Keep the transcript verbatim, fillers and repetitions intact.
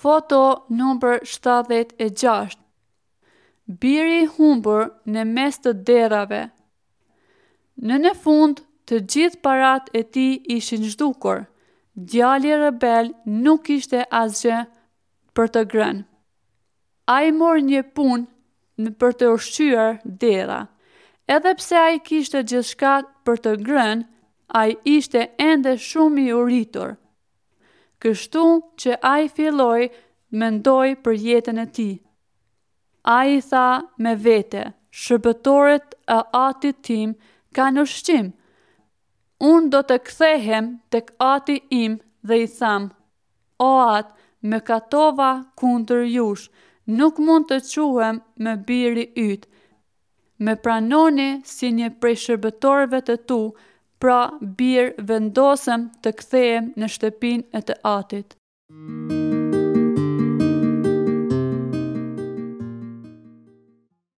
Foto numër shtatëdhjetë e gjashtë. Biri i humbur në mes të derrave. Në në fund, të gjithë paratë e tij ishin zhdukur. Djali rebel nuk kishte asgjë për të ngrënë. Ai mori një punë për të ushqyer derra. Edhe pse ai kishte gjithçka për të ngrënë, ai ishte ende shumë i uritur. Kështu që ai filloi të mendojë për jetën e tij. Ai tha me vete, shërbëtorët e atit tim kanë ushqim. Unë do të kthehem tek ati im dhe i them, o atë, mëkatova kundër jush, nuk mund të quhem më biri yt. Më pranoni si një prej shërbëtorëve të tu, pra bir vendosëm të kthehem në shtëpinë e të atit.